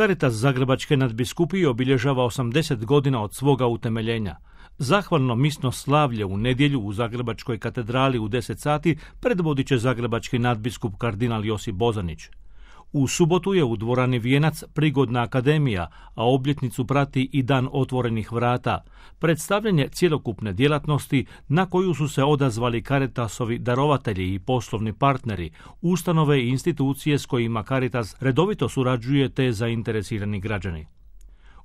Caritas Zagrebačke nadbiskupije obilježava 80 godina od svoga utemeljenja. Zahvalno misno slavlje u nedjelju u Zagrebačkoj katedrali u 10 sati predvodit će zagrebački nadbiskup kardinal Josip Bozanić. U subotu je u dvorani Vijenac prigodna akademija, a obljetnicu prati i dan otvorenih vrata, predstavljanje cjelokupne djelatnosti na koju su se odazvali Caritasovi darovatelji i poslovni partneri, ustanove i institucije s kojima Caritas redovito surađuje te zainteresirani građani.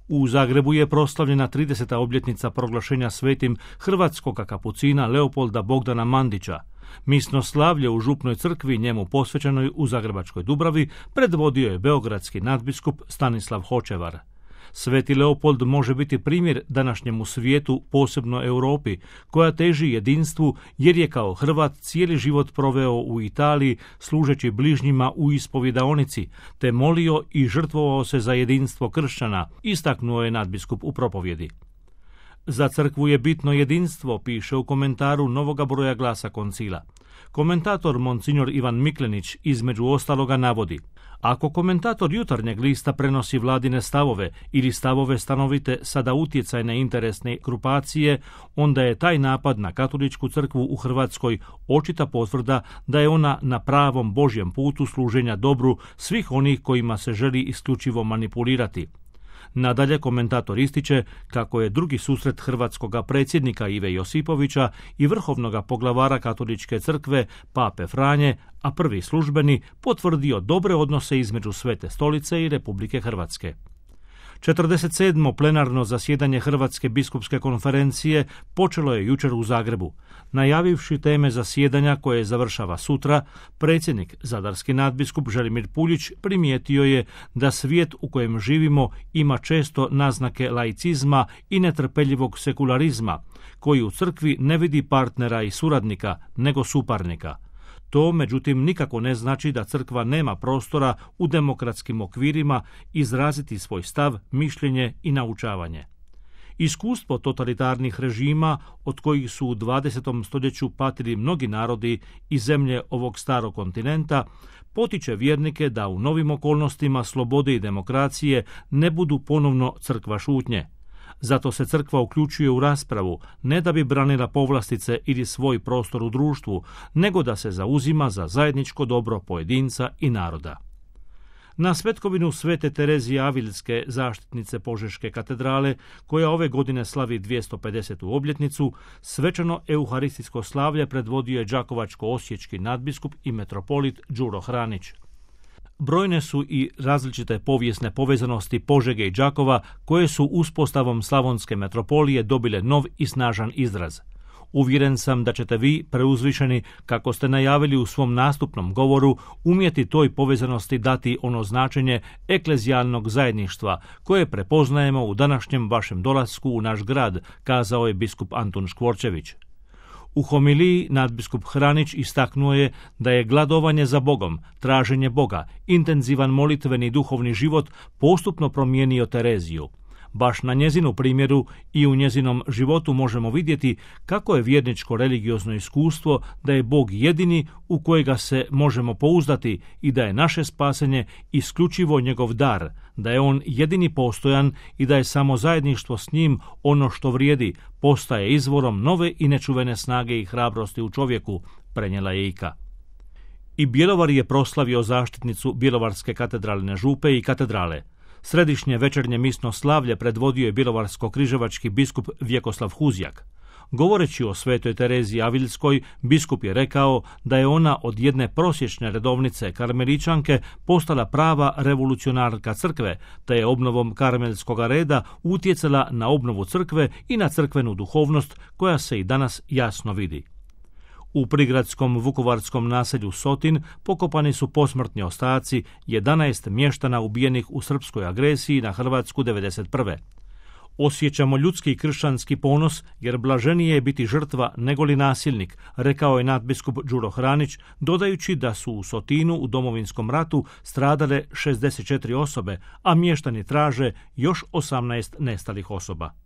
U Zagrebu je proslavljena 30. obljetnica proglašenja svetim hrvatskog kapucina Leopolda Bogdana Mandića. Misno slavlje u župnoj crkvi njemu posvećenoj u Zagrebačkoj Dubravi predvodio je beogradski nadbiskup Stanislav Hočevar. Sveti Leopold može biti primjer današnjemu svijetu, posebno Europi, koja teži jedinstvu jer je kao Hrvat cijeli život proveo u Italiji služeći bližnjima u ispovjedaonici, te molio i žrtvovao se za jedinstvo kršćana, istaknuo je nadbiskup u propovjedi. Za crkvu je bitno jedinstvo, piše u komentaru novoga broja Glasa koncila. Komentator monsignor Ivan Miklenić između ostaloga navodi: ako komentator Jutarnjeg lista prenosi vladine stavove ili stavove stanovite sada utjecajne interesne grupacije, onda je taj napad na katoličku crkvu u Hrvatskoj očita potvrda da je ona na pravom Božjem putu služenja dobru svih onih kojima se želi isključivo manipulirati. Nadalje, komentator ističe kako je drugi susret hrvatskoga predsjednika Ive Josipovića i vrhovnoga poglavara katoličke crkve, pape Franje, a prvi službeni, potvrdio dobre odnose između Svete stolice i Republike Hrvatske. 47. plenarno zasjedanje Hrvatske biskupske konferencije počelo je jučer u Zagrebu. Najavivši teme zasjedanja koje završava sutra, predsjednik zadarski nadbiskup Želimir Puljić primijetio je da svijet u kojem živimo ima često naznake laicizma i netrpeljivog sekularizma, koji u crkvi ne vidi partnera i suradnika, nego suparnika. To, međutim, nikako ne znači da crkva nema prostora u demokratskim okvirima izraziti svoj stav, mišljenje i naučavanje. Iskustvo totalitarnih režima, od kojih su u 20. stoljeću patili mnogi narodi i zemlje ovog starog kontinenta, potiče vjernike da u novim okolnostima slobode i demokracije ne budu ponovno crkva šutnje. Zato se crkva uključuje u raspravu, ne da bi branila povlastice ili svoj prostor u društvu, nego da se zauzima za zajedničko dobro pojedinca i naroda. Na svetkovinu Svete Terezije Avilske, zaštitnice Požeške katedrale, koja ove godine slavi 250. obljetnicu, svečano euharistijsko slavlje predvodio je đakovačko-osječki nadbiskup i metropolit Đuro Hranić. Brojne su i različite povijesne povezanosti Požege i Đakova koje su uspostavom slavonske metropolije dobile nov i snažan izraz. Uvjeren sam da ćete vi, preuzvišeni, kako ste najavili u svom nastupnom govoru, umjeti toj povezanosti dati ono značenje eklezijalnog zajedništva koje prepoznajemo u današnjem vašem dolasku u naš grad, kazao je biskup Antun Škvorčević. U homiliji nadbiskup Hranić istaknuo je da je gladovanje za Bogom, traženje Boga, intenzivan molitveni duhovni život postupno promijenio Tereziju. Baš na njezinu primjeru i u njezinom životu možemo vidjeti kako je vjerničko religiozno iskustvo da je Bog jedini u kojega se možemo pouzdati i da je naše spasenje isključivo njegov dar, da je on jedini postojan i da je samo zajedništvo s njim ono što vrijedi, postaje izvorom nove i nečuvene snage i hrabrosti u čovjeku, prenijela je Ika. I Bjelovar je proslavio zaštitnicu Bjelovarske katedralne župe i katedrale. Središnje večernje misno slavlje predvodio je bjelovarsko-križevački biskup Vjekoslav Huzjak. Govoreći o Svetoj Tereziji Avilskoj, biskup je rekao da je ona od jedne prosječne redovnice karmeličanke postala prava revolucionarka crkve, te je obnovom karmelskog reda utjecala na obnovu crkve i na crkvenu duhovnost koja se i danas jasno vidi. U prigradskom vukovarskom naselju Sotin pokopani su posmrtni ostaci 11 mještana ubijenih u srpskoj agresiji na Hrvatsku 1991. Osjećamo ljudski i kršćanski ponos jer blaženije je biti žrtva negoli nasilnik, rekao je nadbiskup Đuro Hranić, dodajući da su u Sotinu u Domovinskom ratu stradale 64 osobe, a mještani traže još 18 nestalih osoba.